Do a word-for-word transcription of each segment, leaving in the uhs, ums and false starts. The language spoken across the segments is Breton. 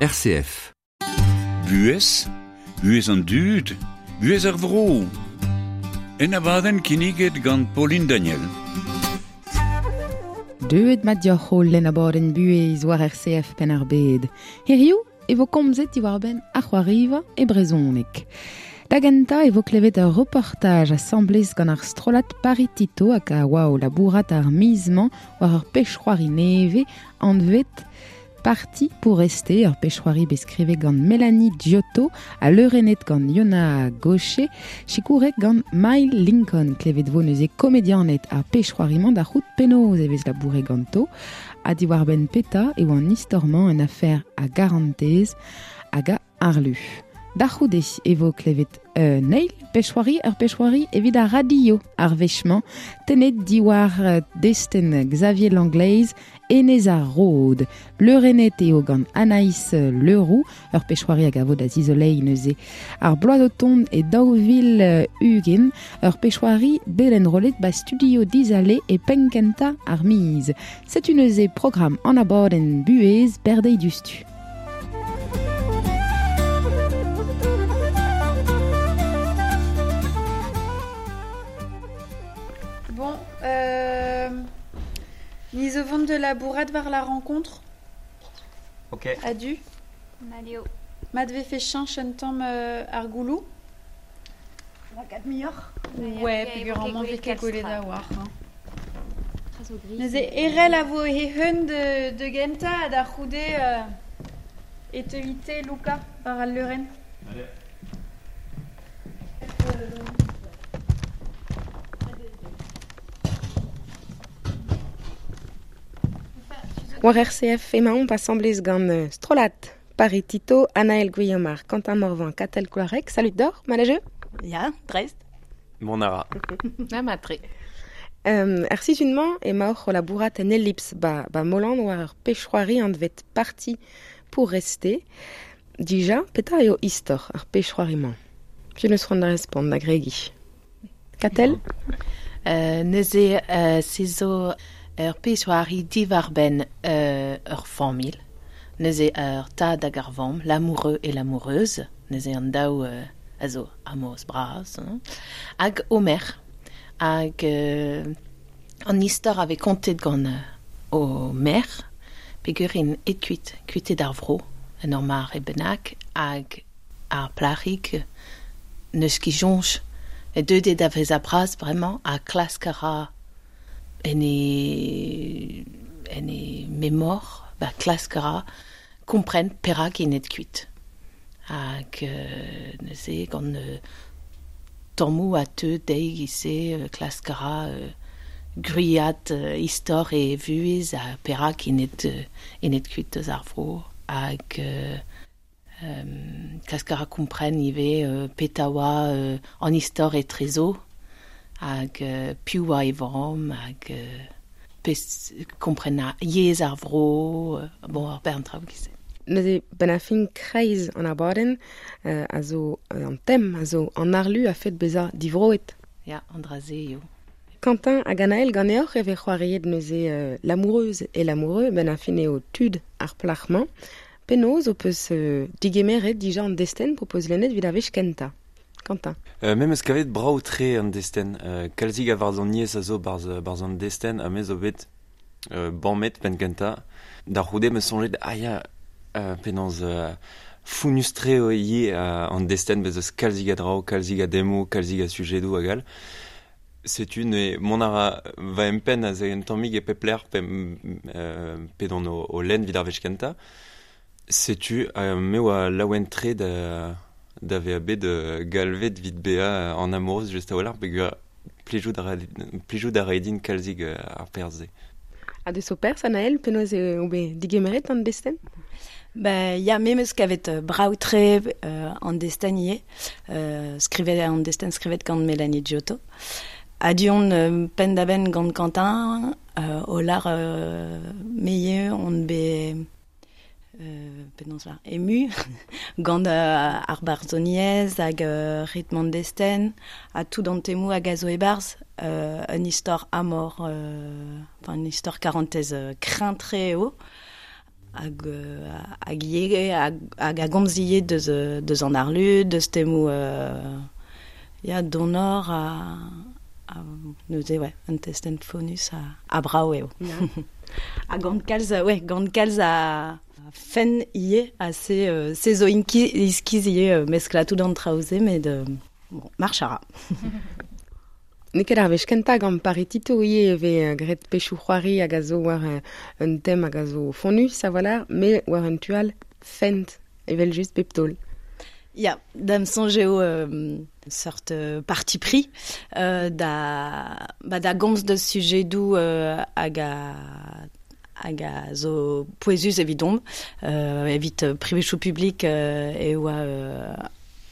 R C F. Buhez, buhez an dud, buhez ar vro. En abadenn kinniget gant Pauline Daniel. Deuet mat dioc'h ho lenn abadenn buhez war R C F penn ar bed. Hiriv e vo komzet diwar-benn ar c'hoariva e brezhoneg. Da gentañ e vo klevet ur reportaj asambles gant ar strollad Paritito hag a oa o labourat ar miz-mañ war ur pech-c'hoari nevez anvet Parti pour rester, ur pech-c'hoari bet skrivet gant Mélanie Giotto ha leurennet gant Yona Gaucher, sikourek gant Mail Lincoln, klevet vo neuze komedianet ar pech-c'hoari-mañ da c'hout penaos e vez labouret ganto, ha diwar-benn peta eo an istor-mañ en afer a garantez hag a arlu. Da c'houde e vo klevet euh, neil pech-c'hoari, ur pech-c'hoari evit ar radio ar wech-mañ, tenet diwar destenn Xavier Langleiz, Enez ar Rod. Leurennet eo gant Anaïs Leroux, ur pech-c'hoari hag a vo da zizoleiñ neuze. Ar bloaz o tont e daou vil ugent, ur pech-c'hoari bet enrollet ba studio Dizale e penn-kentañ ar miz. Setu neuze programm an abadenn buhez berdeiz dustu. Bon, euh, ni zo vont de labourat war la rencontre. Ok. Adu. Malio. Mat vefe cheñch un tamm euh, ar goulou. La quatre meilleur. Ouais, peogwir amañ vez ket gwelet a-walc'h. Hein. Neuze erel a vo he hun de, de gentañ ha da c'houde euh, e teuite Luca war al leurenn. Allez. War R C F emaomp asambles gant strollad Paritito, Anaël Guillaumard, Quentin Morvan, Katell Kloareg. Salut d'or, malajeu? Ya, dreist. Mon ara. Na matre. Euh, ar sizhun-mañ emaoc'h o labourat en Ellipse ba, ba Molan war ur pech-c'hoari anvet Parti pour rester. Dija, petra eo istor ar pech-c'hoari-mañ? Piv neus c'hoant da respont da gregi? Katell? Euh, neuze, euh, se zo ur pech-c'hoari diwar-benn euh, ur familh. Neuze ur tad hag ar vamm, l'amoureux et l'amoureuse. Neuze an daou euh, a zo amoureux bras. Hein. Hag Homer. Hag euh, an istor avait kontet gant euh, Homer, peogwir int et kuit, kuitet ar vro, en ur mar e bennak, hag ar plac'hig neus ket soñj. E deuet eo da vezañ bras bremañ ha klask a ra en e, en e memor, ba klask a ra kompren perak int et kuit. Hag euh, neuze gant euh, tammoù a teu dezhi e-se, euh, klask a ra euh, gwriat euh, istor e vuhez ha perak int et, euh, int et kuit eus ar vro. Hag euh, euh, klask a ra kompren ivez euh, petra oa euh, an istor etrezo, hag euh, piv oa e vamm, hag euh, pez kompren a yezh ar vro, euh, bon, ar bern traoù e-se. Neuze ben a fin kreiz an abadenn, euh, a zo euh, an tem, a zo an arlu a fet bezañ divroet. Ya, an dra-se eo. Quentin hag Anaël ganeoc'h e vez c'hoariet neuze euh, l'amoureuse et l'amoureux, ben a fin eo tud ar plac'h-mañ. Penaos ho peus euh, digemeret dija an destenn po peus lennet evit ar wech kentañ? Quentin. Euh, me 'meus kavet brav-tre an destenn. Euh, kalzik a varzhoniezh a zo barzh, barzh an destenn, ha me zo bet, euh, bammet penn kentañ. Da c'houde 'meus soñjet, ah ya, euh, penaos, euh, founnus-tre eo ivez, euh, an destenn, bez eus kalzik a draoù, kalzik a demoù, kalzik a sujedoù hag all. Setu ne mont a ra va empenn a un tammig e pep lec'h pe, euh, pe don o, o lenn evit ar wech kentañ. Setu, euh, me oa laouen-tre da, da vezañ bet, euh, galvet evit bezañ an amoureuse just a-walc'h, peogwir plijout a ra, plijout a ra din kalzik, euh, ar perzh-se. Ha deus ho perzh, Anaël, penaos eo bet digemeret an destenn? Ben, ya, me 'meus kavet, euh, brav-tre, euh, an destenn ivez. Euh, skrivet an destenn skrivet gant Mélanie Giotto. Adu on, euh, penn-da-benn gant Quentin, euh, o lar, euh, me ivez on bet, euh, penaos lar, ému gant, euh, ar barzhoniezh hag, euh, ritm an destenn, ha tout an temoù hag a zo e-barzh, euh, un istor amor, euh, enfin, un istor karantez, euh, kreñv-tre eo. hag, hag ie, hag, hag a gomz ie deus, deus an arlu, deus temou euh, ya donor a, a neuze, ouais, un testen fonus a, a brao eo. Yeah. Ha gant kalz, ouais, gant kalz a fen ie, a se, euh, se zo inki, iskiz ie euh, meskla tout an traoze, met euh, bon, march a ra. N'eo ket ar wech kentañ gant Paritito ivez e vez graet pechoù c'hoari hag a zo war un tem hag a zo fonnus a-walc'h, met war un tu all fent, evel just bep taol. Ya, da'm soñj eo euh, seurt euh, parti pris euh, da, ba da gomz deus sujedoù euh, hag a hag a zo pouezus evidomp, euh, evit privechoù publik euh, e oa euh,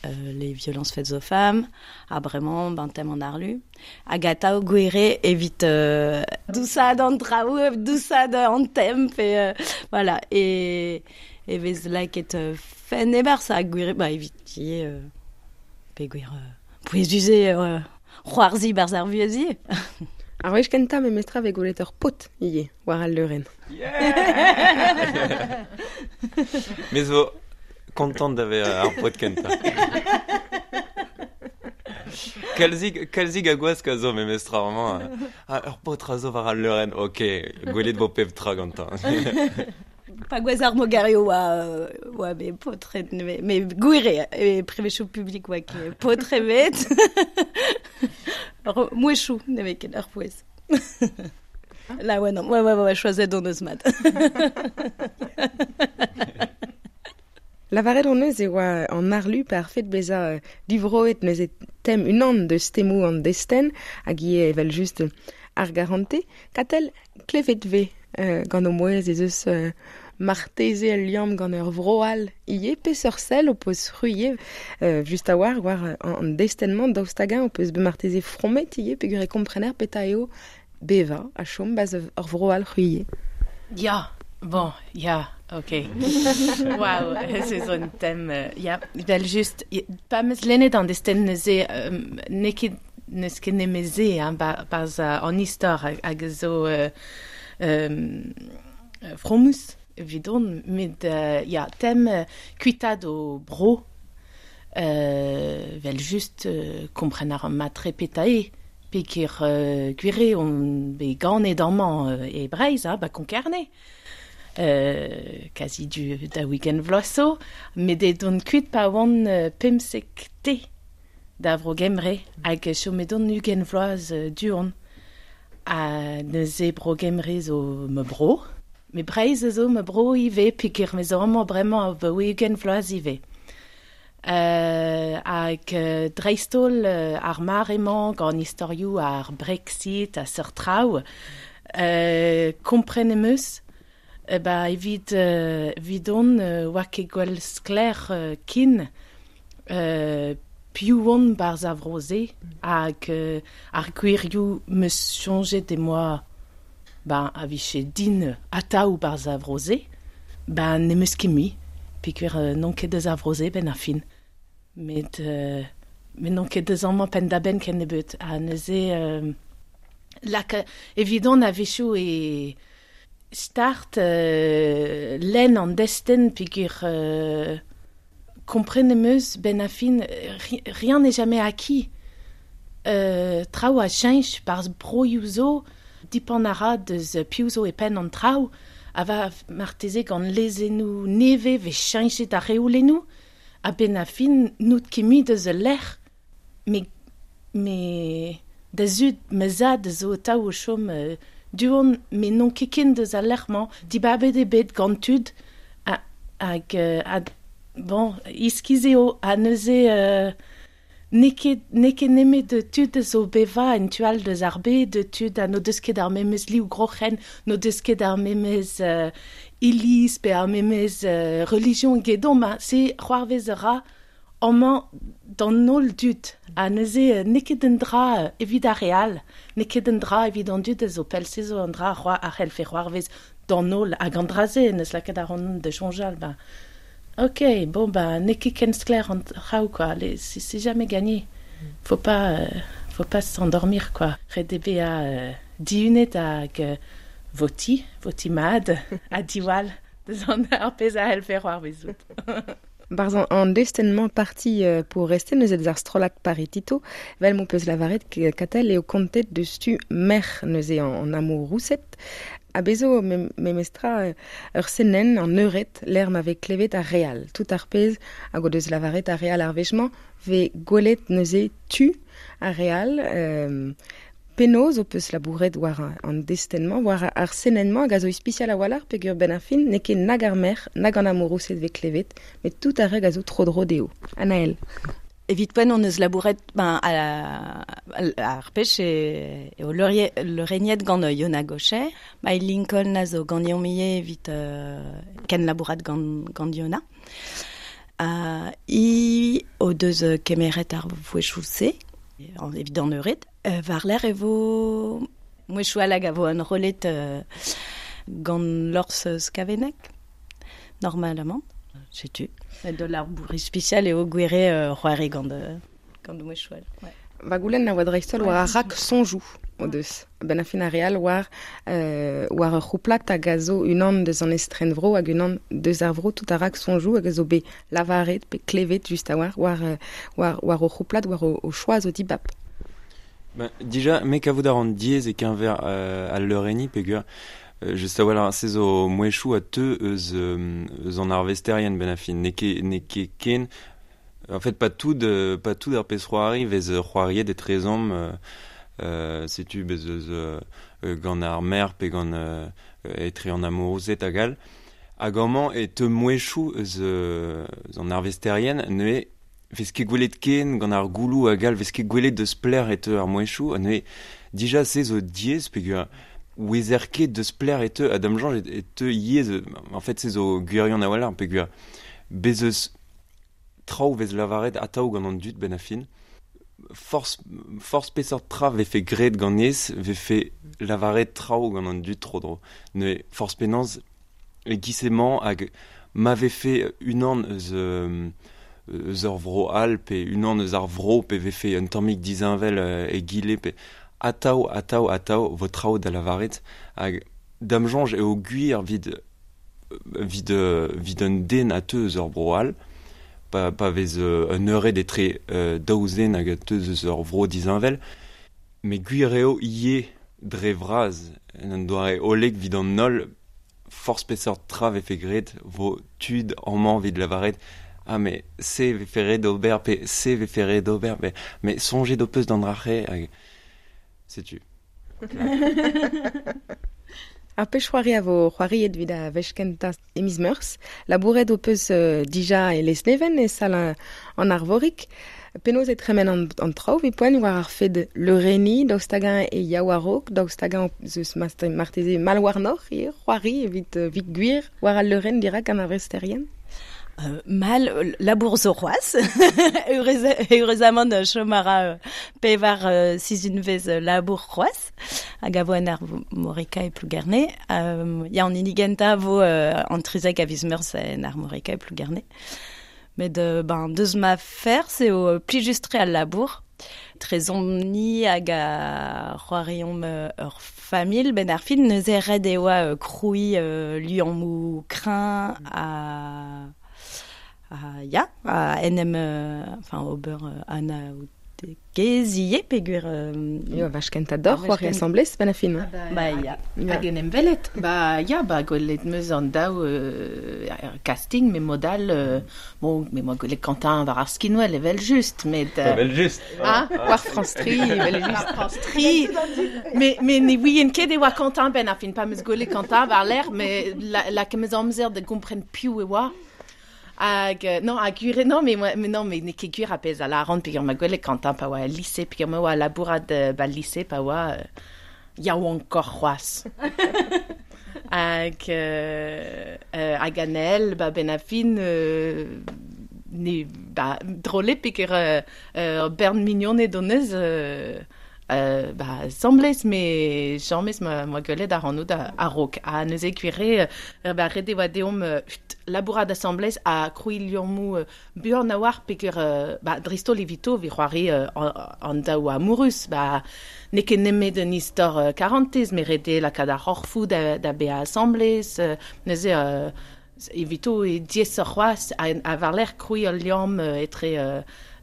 euh, les violences faites aux femmes, ha bremañ ben tem an arlu. Hag atav gwere evit euh, dousad an traoù, dousad an tem, pe, euh, voilà, e, e vez laket euh, fen e-barzh ha gwere, ba evit ivez, euh, pe gwir euh, pouezus eo euh, c'hoarzhiñ barzh ar vuhez ivez. Ar wech kentañ memestra vez gwelet ur paotr ivez war al leurenn. Yeah. Me zo kontant da vezañ ar paotr kentañ. Kalzig, kalzig a gwask a zo memestra, vraiment. Ah, ur paotr a zo war al leurenn, ok, gwelet vo pep tra gantañ. Pa gwez ar mogario oa, oa be paotr me, me gwir eo, e privechoù publik oa ket paotr ebet. Ur mouezhioù ne vez ket ur pouez. La ouais, non, ouais, ouais, ouais, choazet hon eus mat. Lavaret hon eus e oa an arlu par fet bezañ divroet neuze tem unan deus temoù an destenn hag ivez evel just ar garante. Katell klevet vez euh, gant o mouezh ez eus euh, marteze al liamm gant ur vro all ivez peseurt sell ho peus c'hwi euh, just a-walc'h war an destenn-mañ daoust hag-eñ ho peus bet marteze fromet ivez peogwir e komprener petra eo bevañ ha chom ba'z ur vro all c'hwi ivez. Ya, bon, ya, ok. Waouh, se zo un tem, euh, ya, evel just, pa 'm eus lennet an destenn neuze, euh, n'eo ket n'eus ket nemet se, hein, ba, barzh an istor hag zo euh, euh, fromus evidon, met euh, ya, tem euh, kuitaat o bro, euh, vel just euh, kompren ar matre petra eo, peogwir euh, gwir eo on bet ganet amañ euh, e Breizh, ha, ba Konk-Kerne. Euh, kazi du da week-end vloaz zo, met aet on kuit pa oan euh, pemzek te da vro Gembre, hag chomet on ugent vloaz euh, du-hont. Ha neuze bro Gembre zo ma bro, met Breizh a zo ma bro ivez, peogwir me zo amañ bremañ abaoe ugent vloaz ivez. Euh, hag euh, dreist-holl euh, ar mare-mañ gant istorioù ar Brexit ha seurt traoù, euh, kompren em eus, euh, ba evit euh, evidon euh, oa ket gwell sklaer euh, kin euh, piv on barzh ar vro-se hag euh, ar gwirioù 'm eus soñjet em boa ba a vije din atav barzh ar vro-se, ba n'em eus ket mui, peogwir euh, n'on ket deus ar vro-se benn ar fin. Met, euh, met n'on ket deus amañ penn-da-benn kennebeut. Ha neuze, euh, lak, evidon a-wechoù e start euh, lenn an destenn peogwir euh, kompren em eus benn ar fin, ri, rien n'est jamais acquis. Euh, traoù a cheñch barzh broioù zo, dipant a ra deus piv zo e penn an traoù, a va marteze gant lezennoù nevez vez cheñchet ar reolennoù, ha benn ar fin n'out ket mui deus al lec'h, me, me da zud ma zad zo atav o chom euh, du-hont, met n'on ket ken deus al lec'h-mañ, dibabet eo bet gant tud, ha, hag, euh, ha, bon, iskiz eo, ha neuze euh, n'eo ket, n'eo ket nemet tud zo bevañ en tu all deus ar bed, tud ha n'o deus ket ar memes liv groc'hen, n'o deus ket ar memes euh, iliz pe ar memes euh, relijion gedon, ma se c'hoarvez a ra amañ d'an holl dud. Ha neuze n'eo ket un dra evit ar re all, n'eo ket un dra evit an dud a zo pell, se zo un dra c'hoa a c'hellfe c'hoarvez d'an holl hag an dra-se neus lakaet ar an da soñjal, ba ok, bon, bah, n'eo ket ken sklaer an traoù, quoi. Les, c'est, c'est jamais gagné. Faut pas, euh, faut pas s'endormir, quoi. Ret eo bezañ euh, dihunet hag euh, voti, voti mad, ha diwall Deus an ar pezh a hellfe c'hoarvezout. Barz an, an destenn-mañ parti euh, pour rester neuze deus ar strollad Paritito, vel m'ho peus lavaret Katell eo kontet deus tu merc'h neuze an, an amouroused. A bezo mem, memestra ur senenn an eured l'er ma vez klevet ar real. Tout ar pezh hag o deus lavaret ar real ar wech-mañ vez gwelet neuze tu ar real euh, penaos o peus labouret war an destenn-mañ, war ar senenn-mañ hag a zo ispisial a-walc'h peogwir ben ar fin n'eo ket nag ar merc'h, nag an amouroused vez klevet, met tout ar re a zo tro-dro dezho. Anaël. Evit poent on eus labouret ben, a, a, ar pech e, e o leureniet gant Yona Gaucher. Mai Lincoln a zo gant Yomie evit euh, ken labourat gant, gant Yona. Uh, i o deus kemeret ar vouechou-se, evit an eured. Euh, war l'air e vo mouechou hag a vo an rolet euh, gant lors skavenek, normalement. Setu. De l'ar bourri spécial eo gwere euh, c'hoari gant, gant mouechou all. Ouais. Va goulenn a oa dreistholl war ar rak sonjou o deus. Ben a fin ar real war, euh, war ur c'houplat hag a zo unan deus an estren vro hag unan deus ar vro tout ar rak sonjou hag a zo bet lavaret pe klevet just a war war, war, war o c'houplat war o, o choaz o dibab. Ben, dija, me kavout ar an diez e keñver euh, al leureni peogwir euh, just a-walc'h se zo mouechou a teu eus, euh, eus an arvesterien ben a fin n'eo ket n'eo ket ken en fait pas tout euh, pas tout ar pezh c'hoari vez c'hoariet etrezomp euh, euh, setu bez eus euh, gant ar mer pe gant euh, etre an amouroused hag all hag amañ e teu mouechou eus, euh, eus an arvesterien neuze vez ket gwelet ken gant ar goulou hag all vez ket gwelet deus pler e teu ar mouechou neuze dija se zo diaes peogwir ouezer ket deus pler e teu a dam soñj e teu ivez en fait se zo gwirion a-walc'h peogwir bez eus traoù vez lavaret atav gant an dud ben a fin force force peseurt tra vefe graet ganez vefe lavaret traoù gant an dud tro-dro neuze force penaos e giz-emañ hag ma vefe unan eus euh, eus ur vro all pe unan eus ar vro pe vefe un tammig disheñvel e gile pe atav atav atav vo traoù da lavaret hag dam soñj eo gwir evit evit evit un den a teu eus ur vro all pa, pa vez euh, un eured etre euh, daou zen hag a teu eus ur vro disheñvel met gwir eo ivez dre vras en un doare hollek evit an holl forzh peseurt tra vefe graet vo tud amañ evit lavaret ah mais se vefe ret d'ober pe se vefe ret d'ober mais, mais soñjet ho peus d'an dra-c'he hag setu. Ar pech c'hoari a vo c'hoariet evit a wech kentañ e miz Meurzh. Labouret ho peus euh, dija e Lesneven e sal an Arvorig. Penaos e tremen an, an traoù evit poent war ar fed leureni, daoust hag-eñ e yaou a-raok, daoust hag-eñ zeus marteze mal warnoc'h ivez c'hoari evit evit gwir war al leurenn dirak an arvesterien. Euh, mal labour zo c'hoazh Eürezamant chom a ra pevar euh, sizhunvezh labour c'hoazh hag a vo an Armorica e Plougerne. Euh, ya an hini gentañ vo euh, an trizek a viz Meurzh en Armorica e Plougerne. Met euh, ben, deus ma ferzh eo plijus-tre al labour. Trezomp-ni hag a c'hoariomp ur familh ben ar fin neuze ret e oa krouiñ euh, liammoù kreñv ha Uh, ya, a en em, euh, enfin, ober euh, anaoudegezh ivez peogwir... Euh, Eo, a wech kentañ deoc'h c'hoari asambles ben a fin. Ah bah, Ba ya. Hag en em welet. Ba ya, ba gwelet meus an daou euh, casting, me mod all, euh, bon, me moa gwelet Quentin war ar skinwel evel just, met... Euh, Evel just. Ah, war France tri, evel just. War France tri. Mais, mais ne ouien ket e oa Quentin ben a fin pa meus gwelet Quentin war l'air, mais la, la meus amzer da gompren piv e oa. Hag, non, hag gwir, non, mais, moi, mais non, mais n'eo ket gwir a pezh a lâran peogwir ma gwelet Quentin pa oa el lycée, peogwir ma oa labourat euh, ba lycée pa oa euh, yaouankoc'h c'hoazh. Hag, euh, euh, hag Anaël, ba ben a fin, euh, ne, ba, drôle peogwir euh, euh, bern mignoned hon eus, euh, euh, ba, semblez, mais jamez ma, ma gwelet ar an a, a-raok. Ha neuze gwir eo, euh, ba, ret e oa deomp euh, labourat asamblez ha krouiñ liammoù euh, buan a-walc'h peogwir euh, ba, dreist-holl evito evit c'hoari euh, an, an daou amourus. Ba, n'eo ket nemet un istor euh, karantez, met ret eo lakaat ar c'horfoù da, da bezañ asamblez. Euh, neuze euh, Evito e diez ur c'hoaz a, a var kroui ul liamm etre euh,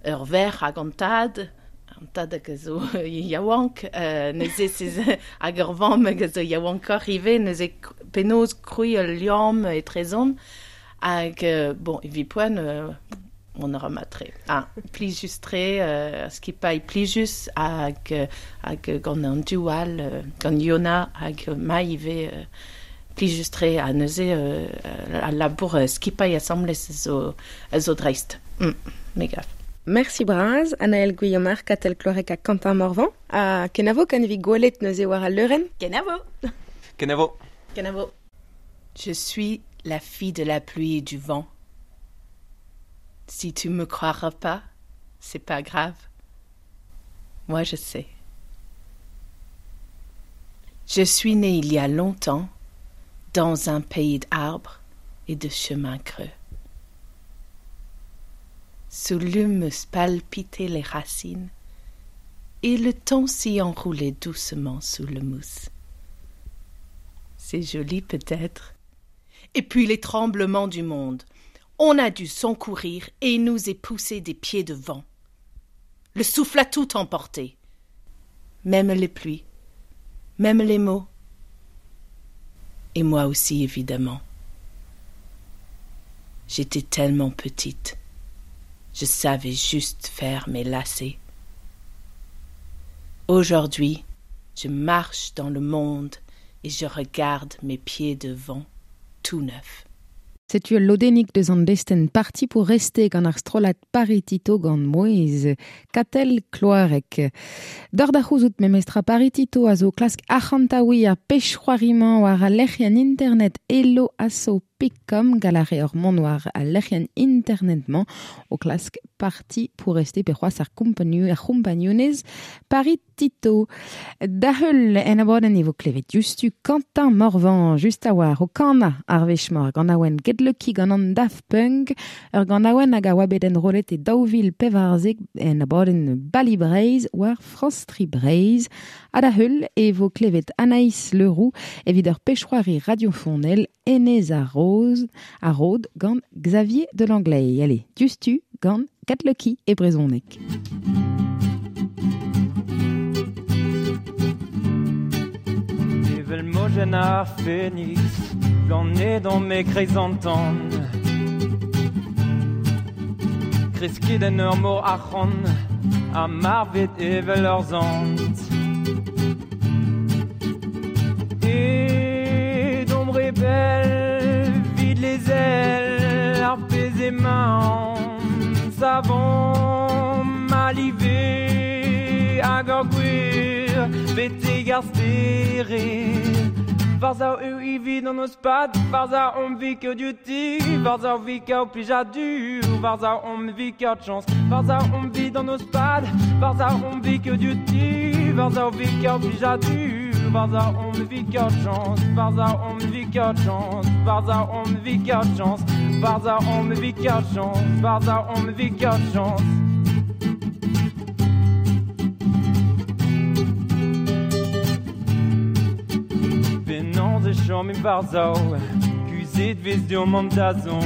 ur ver hag an tad, an tad hag a zo yaouank, euh, neuze sez hag ur vamm hag a zo yaouankoc'h ivez, neuze penaos kroui ul liamm etrezon, hag, euh, bon, evit poent, euh, on aura matre. Ah, plijus-tre, euh, skipailh plijus hag, hag gant an dual, euh, gant Yona hag ma ivez, euh, plijus-tre a neuze euh, a labour euh, skipailh asambles zo, zo dreist. Mm, me gav. Merci braz, Anaël Guillaumard, Katell Kloareg ha Quentin Morvan. A kenavo kan evit gwelet neuze war al leurenn. Kenavo. Kenavo. Kenavo. Je suis la fille de la pluie et du vent. Si tu me croiras pas, c'est pas grave. Moi, je sais. Je suis née il y a longtemps dans un pays d'arbres et de chemins creux. Sous l'humus palpitaient les racines et le temps s'y enroulait doucement sous le mousse. C'est joli peut-être. Et puis les tremblements du monde. On a dû s'encourir et nous est poussé des pieds de vent. Le souffle a tout emporté. Même les pluies, même les mots. Et moi aussi, évidemment. J'étais tellement petite. Je savais juste faire mes lacets. Aujourd'hui, je marche dans le monde et je regarde mes pieds de vent tout neufs. Setu ul lodennig deus an destenn parti pour rester gant ar strollad Paritito gant mouez Katell Kloareg. Dor da c'houzout memestra Paritito a zo klask arc'hantaoui ar pech-c'hoarimañ war al lec'hienn internet elo asso picom gant ar re ur mont war al lec'hienn internet-mañ o klask parti pour rester pe c'hoazh ar kompagnu ar c'hompagnunez Paritito. Da heul en abadenn e vo klevet diouzhtu Quentin Morvan just a war o kana ar wech-mañ gant awen Get Lucky gant an Daft Punk ur gant awen hag a oa bet enrollet e daou vil pevarzek en abadenn Bali Breizh war France Tri Breizh. Ha da heul e vo klevet Anaïs Leroux evit ur pech-c'hoari radiofonel Enez ar Roz ar Rod gant Xavier Delanglais. Allez, diouzhtu gant Get Lucky e brezhoneg. Evel mojenn ar Phénix ganet dans mes chrysanthèmes Kresket en ur mor arc'hant ha marvet evel ur zant Et d'ombre belle vide les ailes ar pezh emañ savon malivé hag ur gwir betek ar stered Varza eo evit an eus pad, varza omp vit kaout diouti, varza vit kaout plijadur, varza omp vit kaout chañs, varza omp vit an eus pad, varza omp vit kaout diouti, varza vit kaout plijadur, varza omp vit kaout chañs, varza omp vit kaout chañs, varza omp vit kaout chañs, varza omp vit kaout chañs, varza omp vit kaout chañs. E chom e barzao, kuzet vez deomp an dazon.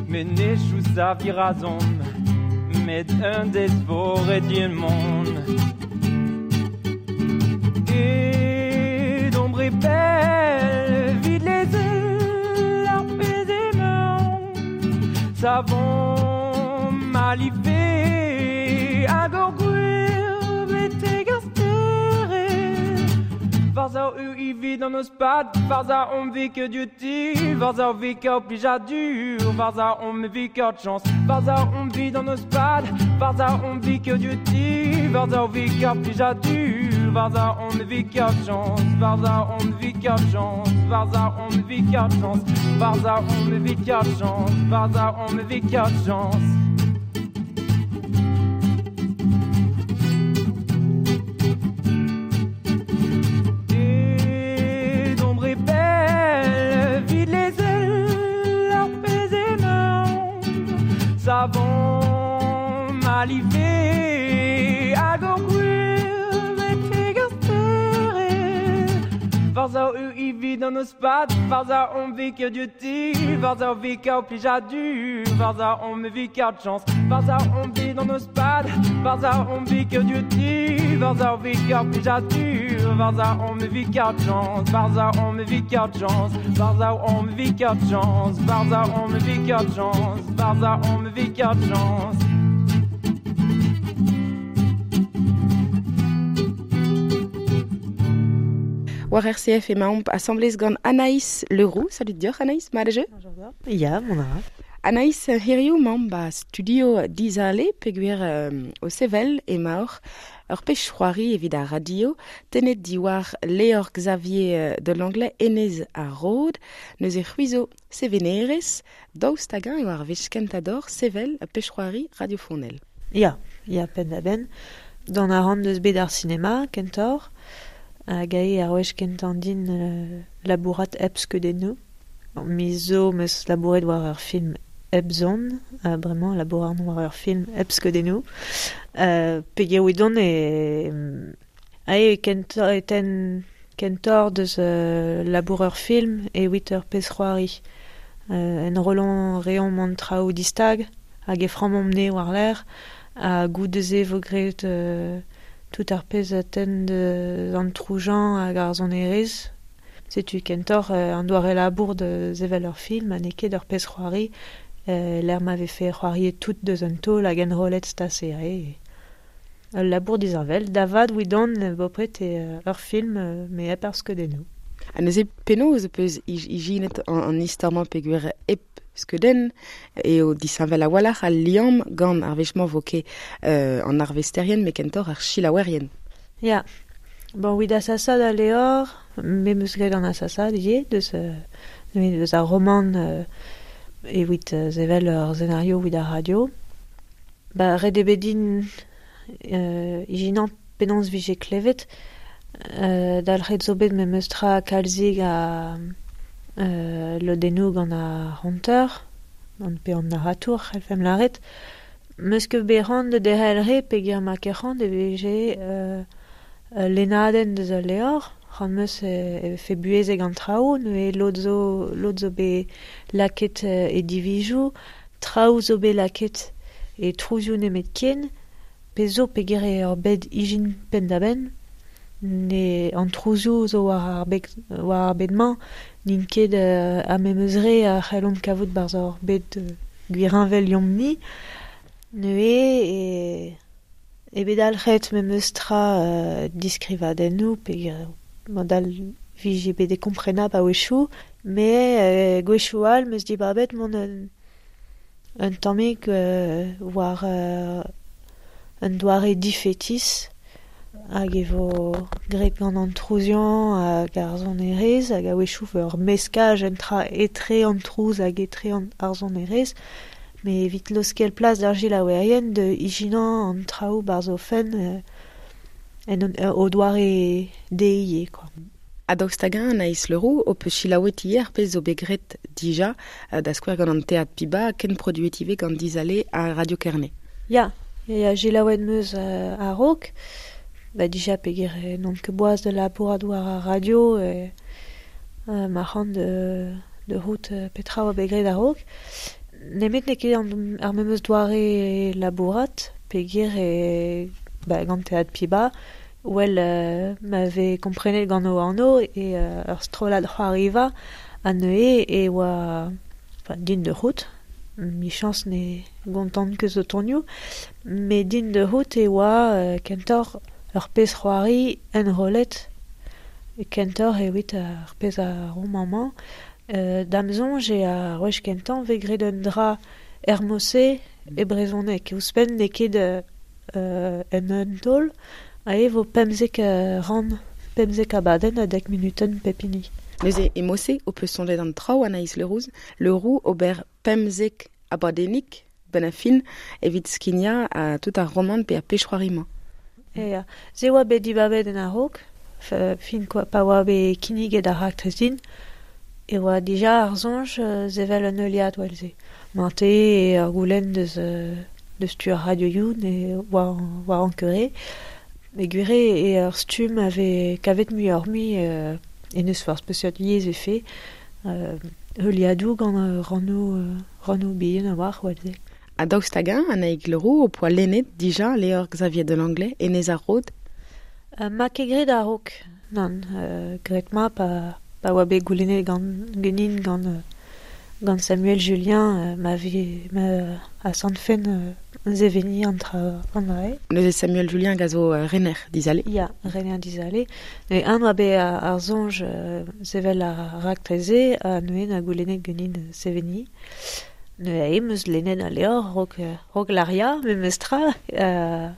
Met ne chous a virazon, met un dez vo ret din mont. Et d'ombre belle, vide les ailes, ar pezh emañ, savon malivé, hag ur gwir betek ar Varza eo evit an eus pad, varza omp vit kaout diouti, varza vit kaout plijadur, varza omp vit kaout chañs, varza omp vit an eus pad, varza omp vit kaout diouti, varza vit kaout plijadur, varza omp vit kaout chañs, varza omp vit kaout chañs, varza omp vit kaout chañs, varza omp vit kaout chañs, varza omp vit kaout chañs. Savon malivé hag ur gwir betek ar stered. Varza eo evit an eus pad, Varza on vi ket diouti, Varza vi kaout plijadur, Varza on me vi kaout chans, Varza on vi an eus pad, Varza on vi ket diouti, Varza vi kaout plijadur, Varza on me vi kaout chans, Varza on me vi kaout chans, Varza on me vi kaout chans, Varza on me vi kaout chans, Varza on me vi kaout chans. War R C F emaomp asamblez gant Anaïs Leroux. Salut dioc'h Anaïs, mat eo? Ya, mon ara. Anaïs, hiziv emaomp ba studio Dizale, peogwir euh, o sevel emaoc'h ur pech c'hoari evit ar radio, tennet diwar Leor Xavier de Langlais Enez ar Rod, neuze c'hwizo sevenerez, daoust hag-eñ eo ar wech kentañ d'or sevel ur pech c'hoari radiofonel. Ya, ya penn da benn. D'an a ran deus bet ar sinema, kentoc'h, hag ae ar wech kentañ din euh, labourat hep skeudennoù. Mi zo meus labouret war ur film hep zon, uh, bremañ labourat war ur film hep skeudennoù. Euh, peogwir oudon e... Ae kentoc'h e ten kentoc'h deus euh, labour ur film evit ur pezh c'hoari. Euh, en rolan reomp an traoù distag, hag e frammomp ne war l'air, ha goude-se vo graet euh, tout ar pezh a ten de an troujañ hag ar sonerezh. Setu kentoc'h euh, an doare labour de sevel ur film, ha n'eo ket ur pezh c'hoari, euh, l'air m'avait fait c'hoarier tout deus un taol hag enrollet stasere. Ul labour disheñvel, davad oudon bopred eo ur film, euh, me hep ar skeudennoù. Ha neuze penaos peus ijinet an, an istor-mañ peogwir hep skeudenn eo disheñvel a-walc'h al liamm gant ar wech-mañ vo ket euh, an arvesterien met kentoc'h ar selaouerien. Ya, bon, wid asasad a Leor, me meus graet an asasad ivez, deus, euh, deus ar roman euh, evit euh, sevel ur scenario wid ar radio. Ba, ret eo bet din euh, ijinañ penaos vije klevet, euh, dalc'het zo bet memes tra kalzig a euh, lodennoù gant ar c'honteur, gant pe an narratour, c'hellfemp lâret. Meus ket bet c'hoant da derc'hel re peogwir ma ket c'hoant e vije euh, lennadenn deus al levr, c'hoant meus e vefe buhezek an traoù, neuze lod zo, lod zo bet lakaet e divizoù, traoù zo bet lakaet e trouzioù nemetken, pe zo peogwir eo ur bed ijin penn-da-benn, ne an trouzioù zo war ar bed, war ar bed-mañ, n'int ket euh, a memes re a c'hellomp kavout barzh ur bed euh, gwirheñvel liomp-ni. Neuze e, e bet dalc'het memes tra euh, diskrivadennoù peogwir modal vije bet e komprenab a-wechoù, met euh, gwechoù all meus dibabet mont un, un tammig euh, war euh, un doare difetis hag e vo graet gant an trouziañ hag ar sonerezh hag a-wechoù ur meskaj entra etre an trouz hag etre an ar sonerezh, met evit laoskel plas d'ar selaouerien de ijinañ an traoù barzh o fenn euh, en euh, o doare dezhe, quoi. Ha daoust hag-eñ Anaïs Leroux ho peus selaouet ivez ar pezh zo bet graet dija euh, da skouer gant an Teatr Piba ken produet ivez gant Dizale ha Radio Kerne. Ya, ya, ya selaouet meus euh, a-raok, ba dija peogwir n'on ket boaz de labourat war ar radio e euh, ma c'hoant de, de rout euh, petra oa bet graet a-raok. Nemet n'eo ket an, ar memes doare labourat peogwir e ba, gant Teatr Piba, well euh, m'avait komprenet gant o anv e euh, ur strollad c'hoariva ha neuze e oa enfin, din de rout, michañs ne gontant ket zo tonioù, met din de rout e oa euh, kentoc'h ur pezh c'hoari enrollet, kentoc'h evit ar pezh a roman-mañ. Euh, da'm soñj eo ar wech kentañ vez graet un dra er mod-se e brezhoneg. Ouzhpenn n'eo ket euh, en un taol, ae vo pemzek euh, ran, pemzek abadenn ha dek minutenn pep hini. Neuze e mod-se ho peus soñjet an traoù Anaïs Leroux, Leroux ober pemzek abadennig benn ar fin evit skignañ a tout ar roman pe ar pezh c'hoari-mañ. E ya, se oa bet dibabet en a-raok, fin quoi, pa oa bet kinniget ar raktres din, e oa dija ar soñj euh, sevel un heuliad well-se. Mante e ar goulenn deus, euh, deus tu ar radioioù ne war, war an keure. Me gwir e ur stumm ave kavet muioc'h mui euh, E neus forzh peseurt yezh e fe, euh, heuliadoù gant euh, rannoù, euh, rannoù bihan a-walc'h oa-se. Ha daoust hag-eñ, Anaïg Le Roux, o poa lennet dija levr Xavier de Langlais, Enez ar Rod? Euh, ma ket graet a-raok, nann, euh, graet ma pa, pa oa bet goulennet gant genin gant, euh, gant Samuel Julien, euh, ma vi, ma a santfen euh, zeveni an tra an drae. Neuze Samuel Julien hag a zo euh, rener dizale. Ya, rener dizale. Ne an oa bet ar, ar soñj euh, sevel ar raktreze ha neuze na goulennet genin seveni. Ne a em eus lennet al levr rok, rok l'aria, memes tra. Euh,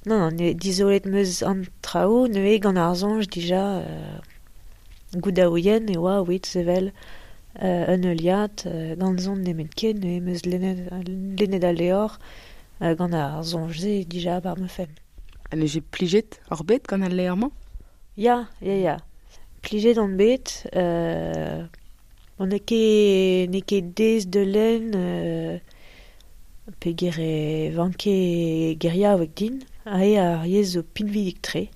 non, non, ne dizolet meus an traoù, neuze gant ar soñj dija euh, goudaouien e oa oit sevel euh, un heuliad euh, gant zon nemet ken, neuze meus lennet, lennet al levr euh, gant ar soñj-se dija bar me fenn. Ha neuze plijet ar bet gant al levr-mañ? Ya, ya, ya. Plijet on bet, euh, on n'eo ket, n'eo ket dez de lenn, euh, peogwir e vanke geriaoueg din, ae ar yezh zo pinvidik-tre.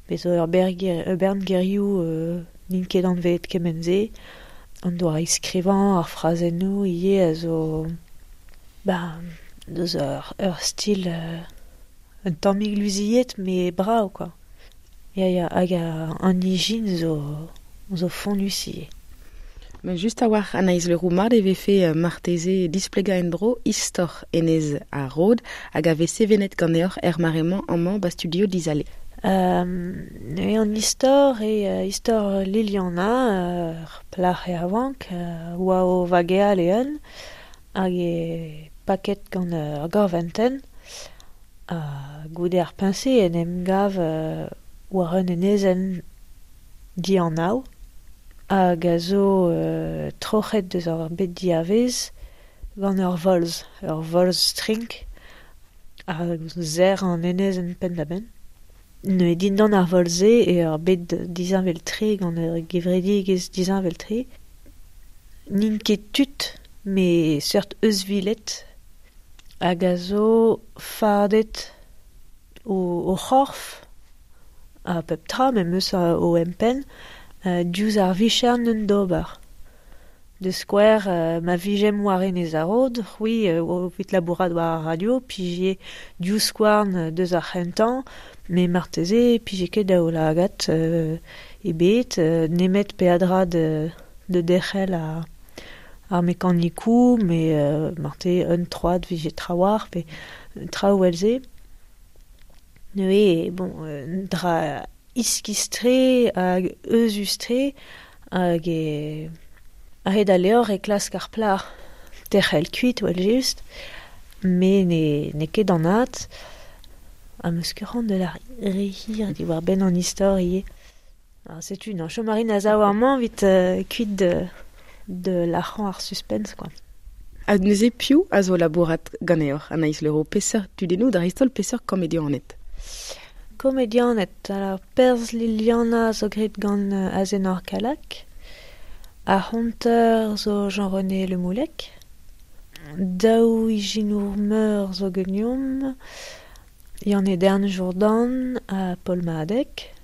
Bez zo ur berger, ur bern gerioù, euh, n'int ket anvet kement-se, an doare skrivañ ar frazennoù ivez a zo, ba, deus ur, ur stil, euh, un tammig luziet, mais brav, quoi. Ya, ya, hag an ijin zo, zo fonnus ivez. Mais just a-walc'h Anaïs Le Roux mat e vefe euh, marteze displegañ en-dro istor Enez ar Rod hag a vez sevenet ganeoc'h er mare-mañ amañ ba studio Dizale. Euh, neuze an istor e euh, istor Liliana, ur euh, plac'h e avank, euh, oa o vageal e un, hag e paket gant ur gorventenn, ha goude ar peñse en em gav euh, war un enezenn dianav, hag a zo euh, troc'het deus ar bet diavez gant ur volz, ur volz strink, hag zer an enezenn penn-da-benn. Neuze dindan ar volz-se e ur bet disheñvel-tre gant ur gevredigezh disheñvel-tre. N'int ket tud, met seurt euzhviled, hag a zo fardet o, o c'horf, ha pep tra memes o empenn, euh, diouzh ar vicher n'eus d'ober. De skouer, euh, ma vijem war Enez ar Rod, c'hwi euh, o vit labourat war ar radio, pije diouzh skouarn deus ar c'hentañ, me marteze pije ket daoulagad euh, ebet, euh, nemet peadra de, de derc'hel ar, ar mekanikou, me euh, marte un troad vije trawar, pe traoù elze. Neuze, bon, euh, dra iskis-tre hag euzhus-tre hag e a-hed al levr e klask ar plac'h derc'hel kuit well just, me ne, n'eo ket anat, ha meus ket c'hoant de la re hir diwar benn an istor ivez. Alors, setu, non, chom a rin a-sav amañ evit euh, kuit de, de lac'hañ ar suspense, quoi. Ha neuze piv a zo labourat ganeoc'h, Anaïs Le Roux, peseurt tudennoù dreist-holl peseurt komedianed? Komedianed, alors perzh Liliana zo graet gant euh, Azenor Kalak, ar c'honter zo Jean-René Le Moullec, daou ijinour meur zo geniom, Yann Edern Jourdan ha Paul Mahadek,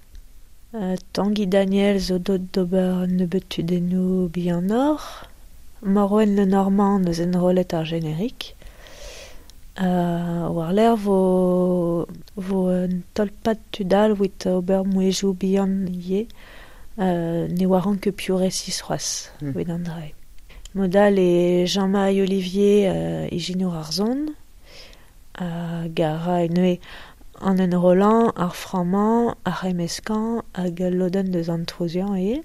euh, Tanguy Daniel zo deuet d'ober nebeut tudennoù bihanoc'h, Morwen Le Normand eus enrollet ar générique, Euh, war-lerc'h vo, vo un tolpad tudal evit ober mouezhioù bihan ivez, euh, ne oaran ket piv resis c'hoazh Mm. evit an dra. Modal e Jean-Marie Olivier euh, ijinour ar zon, hag a ra neuze an enrollan, ar frammañ, ar c'hemmeskañ hag al lodenn deus an trouziañ ivez.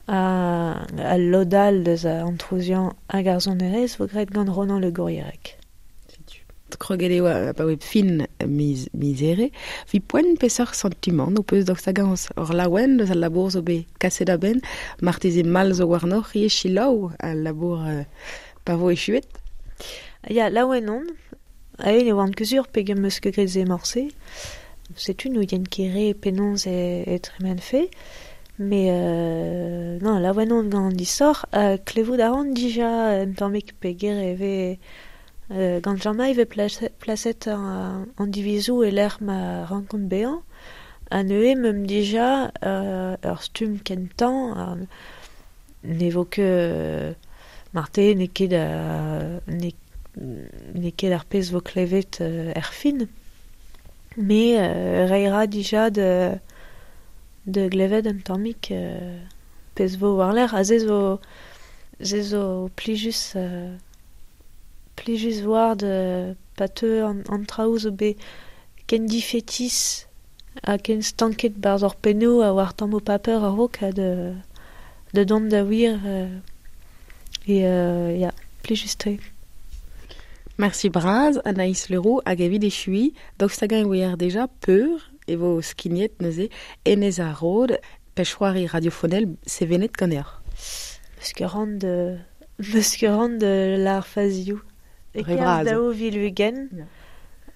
Ha al lodal deus an trouziañ hag ar sonerezh vo graet gant Ronan Le Gourrierec. Kroget eo pa oa fin miz, miz here. Vi poent peseurt sentiment ho peus daoust hag-eñ ur laouen deus al labour zo bet kaset a-benn, marteze mall zo warnoc'h ivez selaou al labour euh, pa vo echuet? Ya, laouen on. Ae ne oan ket sur pegen meus ket graet se morse. Setu n'ouien ket re penaos e, e tremen fe. Mais euh, non, laouen on gant an disoc'h, euh, klevout a ran dija un tammig peger e vez Euh, gant Jean-Maï ve place, plaset an, an divizou e lec'h ma rankont bezañ, A neue meum dija euh, ur stumm kentañ euh, ne vo ket euh, marte n'eo ket euh, n'eo ket ar pezh vo klevet euh, er fin. Me euh, reira dija de de glevet un tammig euh, pezh vo war-lerc'h ha se zo se zo plijus euh, plijus war de pa teu an, an traoù zo bet ken difetis ha ken stanket barzh ur pennoù a war tammoù paper a-raok ha de de dont da wir euh, et euh, ya, plijus-tre. Merci braz, Anaïs Leroux, hag evit echui, daoust hag-eñ e oer deja peur e vo skignet neuze Enez ar Rod, pezh-c'hoari radiofonel sevenet ganeoc'h. Meus ket ran de meus ket ran de lar fazioù. E Re kerzh vras. daou vil ugent, Ya.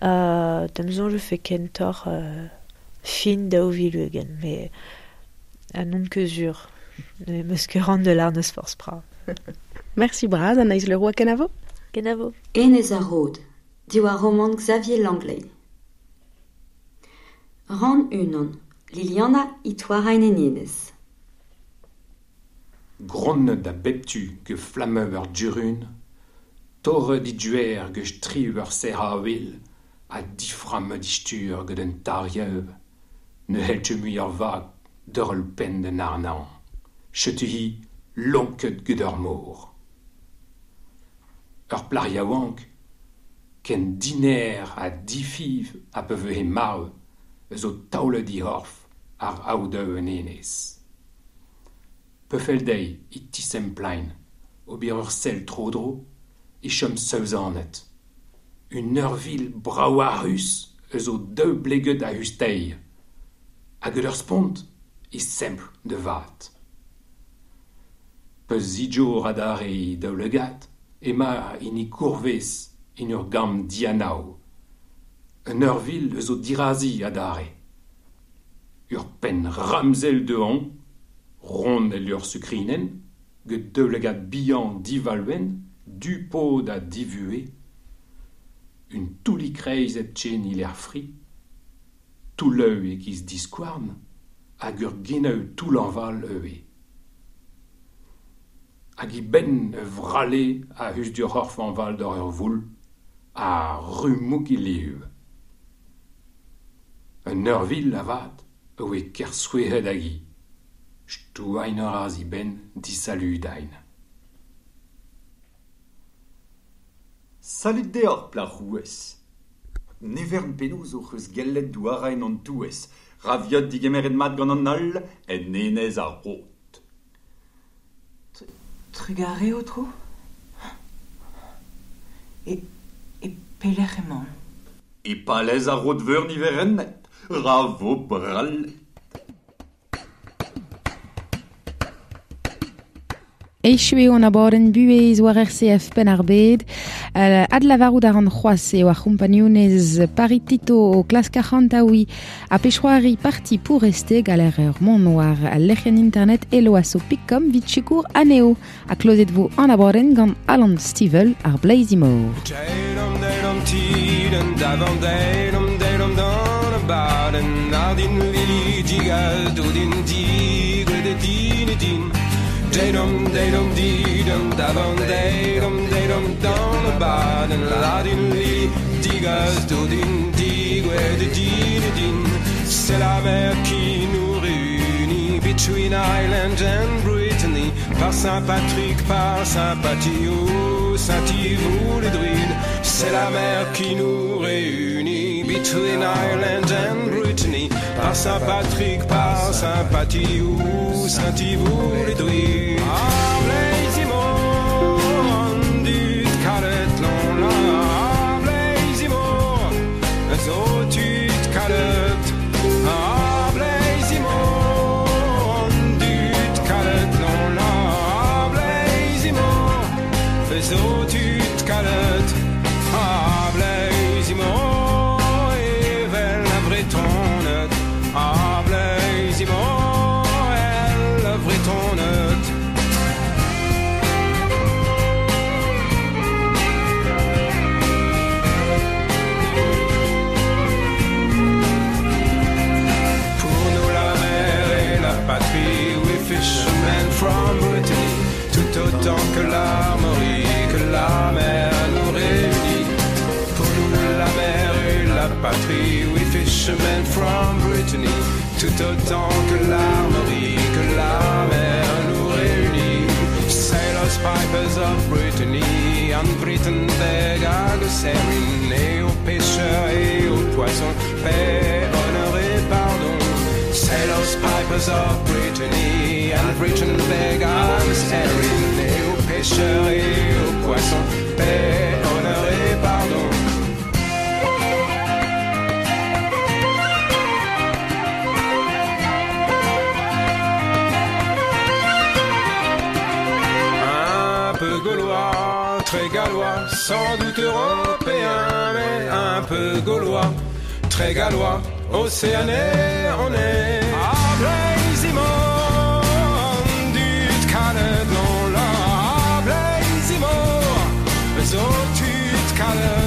euh, da'm soñj e fe kentoc'h euh, fin daou vil ugent, mais a n'on ket sur. Ne meus ket ran de lar neus forzh pra. Merci braz, Anaïs Leroux, ha kenavo. Kenavo. Enez ar Rod, diwar romant Xavier Langley. Rann unan, Liliana Itoarain en enez. Gronnet da bep tu ge flammeu ur durun, torret di duer ge striv ur serr-avel, ha diframmet di stur gant un tariev, ne c'hell ket mui ur vag d'ur penn d'an arnañ. Setu hi lonket gant ur mor. Ur plac'h yaouank, ken diner ha difiv ha pa vehe marv, zo taolet he c'horf ar aodoù en enez. Peufel dezhi e tisemplain, ober ur sell tro-dro, e chom saouzanet. Un eurvil braouac'hus eus o daou bleget a-us dezhi. Hag ur spont e sempl da vat. Peus zidjour adarre he daoulagad, ema hini kourvez en ur gambr dianav. Un eurvil eus o dirazi adarre. Ur penn ramzel dehon, ront el ur sukrinen, get daoulagad bihan divalvenn, du pod ha divue, un toullig kreiz hepken e lec'h fri, toulleu e-giz diskouarn, hag ur genou toull-aval ivez. Hag he benn e vralle a-us d'ur c'horf aval d'ur ur voul, ha ru-mouk he liv. Un eurvil avat a oe ker souezhet hag hi. Stouañ a ra he benn disaludañ. Salud deoc'h, plac'h rouez. Ne vern penaos hoc'h eus gellet douarañ en hon touez, ra viot digemeret mat gant an holl en Enez ar Rod. Trugarez, aotrou. E, e pelec'h emaon? E palez ar Rod Veur niverennet, ra vo brallet. Echu eo an abadenn buhez war R C F Penn-ar-Bed. Euh, adlavarout a ran c'hoazh eo ar c'hompagnunez Paritito o klask arc'hantaouiñ ha pezh-c'hoari parti pour rester galer ur mont war al lec'hienn internet eloasso pik com vit sikour anezho. Ha klozet vo an abadenn gant Alan Stivell ar Bleizi Mor. Deom, deom, tidenn, davant, deom, deom, dan abadenn, ardin lili digal, doudin digwet e din e din. Deom, deom, didem, davant, deom, deom, dan abadenn, ardin lili digal, doudin digwet e din e din. C'est la mer qui nous réunit, between Ireland and Brittany, par Saint-Patrick, par Saint-Patio, Saint-Yves ou les Druides. C'est la mer qui nous réunit, between Ireland and Brittany, par Saint-Patrick, par Saint-Patio, Saint-Yves ou les Druides. Ah, Blaisimo, an dud kalet l'on la, ah, Blaisimo, zo tud kalet. Ah, Blaisimo, an dud kalet l'on la, ah, Blaisimo, zo tud kalet. Ah, Blaisimo, evel a Vretonet. Ah, Blaisimo, el a Vretonet. autant que l'Armorique, la mer nous réunit. Pour nous la mer est la patrie, we fishermen from Brittany. Tout autant que l'Armorique, la mer nous réunit. Sailors, pipers of Brittany, en Britain beg hag serin, et aux pêcheurs et aux poissons, paix, honneur et pardon. Sailors, pipers of Brittany, and Britain beg hag serin, et aux pêcheurs et aux poissons, paix, honneur et pardon. Un peu gaulois, très gallois, sans doute européen, mais un peu gaulois, très gallois, océanais, on est. Ah, Blaizimor, dut kalet non la, Blaizimor, zo tut kalet.